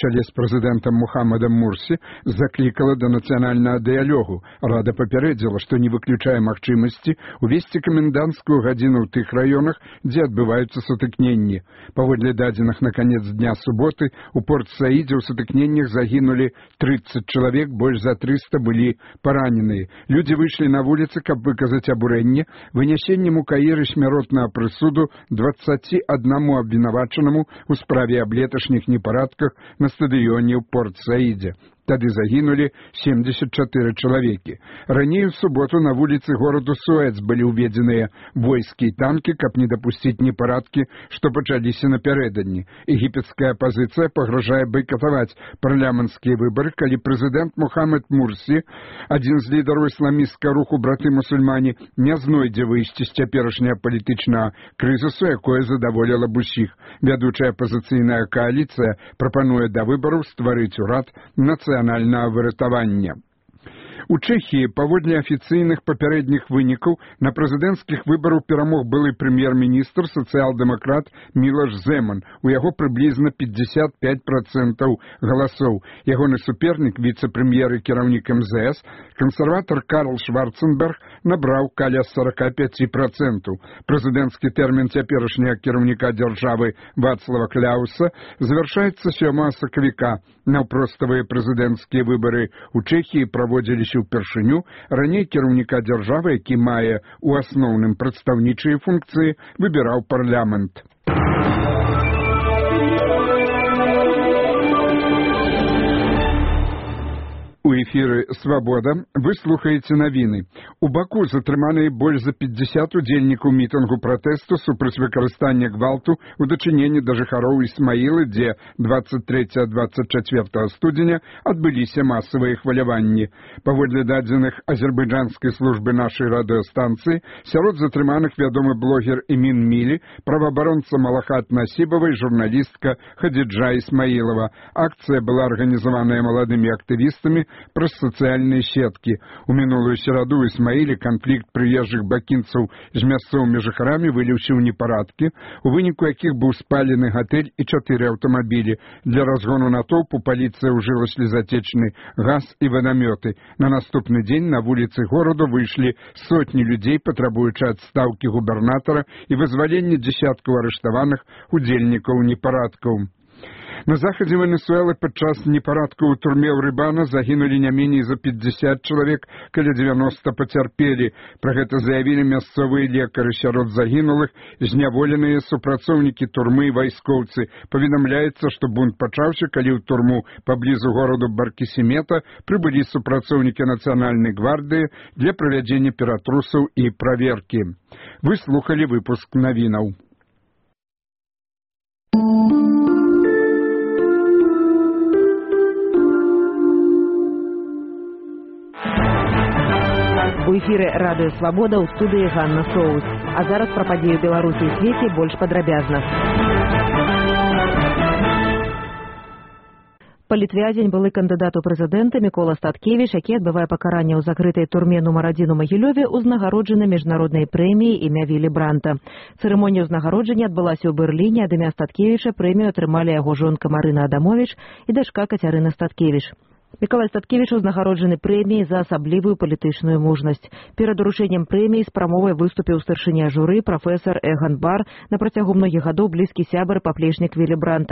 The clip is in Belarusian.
чале з прэзідэнтам Мухаммадам Мурсі заклікала да нацыянальнага дыялогу. Рада папярэдзіла, што не выключае магчымасці увесці каменданцкую гадзіну ў тых раёнах, дзе адбываюцца сутыкненні. Паводле дадзеных на канец дня суботы у Порт-Саідзе ў сутыкненнях загінулі 30 чалавек, больш за 300 былі параненыя. Людзі выйшлі на вуліцы, каб выказаць абурэнне вынясеннем у Каіры смяротнага прысуду 21 абвінавачанаму у справе аб леташніх непарадках на стадыёне ў Порт-Саідзе. Тады загінулі 74 чалавекі. Раней у суботу на вуліцы гораду Суэц былі ўведзеныя войскі і танкі, каб не дапусціць непарадкі, што пачаліся напярэдадні. Егіпецкая апазіцыя пагражае байкатаваць парламенцкія выбары, калі прэзідэнт Мухаммад Мурсі, адзін з лідараў ісламісцкага руху браты-мусульмане, не знойдзе выйсці з цяперашняга палітычнага крызісу, якое задаволіла б усіх. Вядучая апазіцыйная кааліцыя прапануе да выбараў стварыць урад нацыянальнага выратавання. У Чэхіі, паводле афіцыйных папярэдніх вынікаў, на прэзідэнцкіх выбарах перамог былы прэм'ер-міністр сацыял-дэмакрат Мілош Зэман. У яго прыблізна 55% галасоў. Ягоны супернік, віцэ-прэм'ер і кіраўнік МЗС, кансерватар Карл Шварценберг, набраў каля 45%. Прэзідэнцкі тэрмін цяперашняга кіраўніка дзяржавы Вацлава Кляуса завяршаецца 7 сакавіка. Наўпроставыя прэзідэнцкія выбары ў Чэхіі праводзіліся упершыню. Раней кіраўніка дзяржавы, які мае ў асноўным прадстаўнічыя функцыі, выбіраў парламент. У эфіры «Свабода» вы слухаеце навіны. У Баку затрыманыя больш за 50 удзельнікаў мітынгу пратэсту супраць выкарыстання гвалту ў дачыненні да жыхароў Ісмаілы, дзе 23-24 студзеня адбыліся масавыя хваляванні. Паводле дадзеных азербайджанскай службы нашай радыёстанцыі, сярод затрыманых вядомы блогер Эмін Мілі, праваабаронца Малахат Насібава і журналістка Хадзіджа Ісмаілава. Акцыя была арганізаваная маладымі актывістамі праз сацыяльныя сеткі. У мінулую сераду ў Ісмаіле канфлікт прыезджых бакінцаў з мясцовымі жыхарамі выліўся ў непарадкі, у выніку якіх быў спалены гатэль і 4 аўтамабілі. Для разгону натоўпу паліцыя ўжыла слезатечны газ і вадамёты. На наступны дзень на вуліцы гораду выйшлі сотні людзей, патрабуючы адстаўкі губернатара і вызвалення дзесяткаў арыштаваных удзельнікаў непарадкаў. На захадзе Венесуэлы падчас непарадкаў у турме Урыбана загінулі не меней за 50 чалавек, каля 90 пацярпелі. Пра гэта заявілі мясцовыя лекары. Сярод загінулых зняволеныя супрацоўнікі турмы і вайскоўцы. Паведамляецца, што бунт пачаўся, калі ў турму паблізу гораду Баркісімета прыбылі супрацоўнікі нацыянальнай гвардыі для правядзення ператрусаў і праверкі. Вы слухалі выпуск навінаў. У эфіры радыё «Свабода», ў студыі Ганна Соус. А зараз пра падзеі ў Беларусі і свеце больш падрабязна. Палітвязень, былы кандыдат у прэзідэнты Мікола Статкевіч, які адбывае пакаранне ў закрытай турме нумар 1 у Магілёве, узнагароджаны міжнароднай прэміяй імя Вілі Бранта. Цырымонія ўзнагароджання адбылася ў Берліне. Ад імя Статкевіча прэмію атрымалі яго жонка Марына Адамовіч і дачка Кацярына Статкевіч. Міколай Статкевіч узнагароджаны прэміяй за асаблівую палітычную мужнасць. Перад уручэннем прэміі з прамовай выступіў старшыня журы прафесар Эган Бар, на працягу многіх гадоў блізкі сябар, паплечнік Вілі Бранта.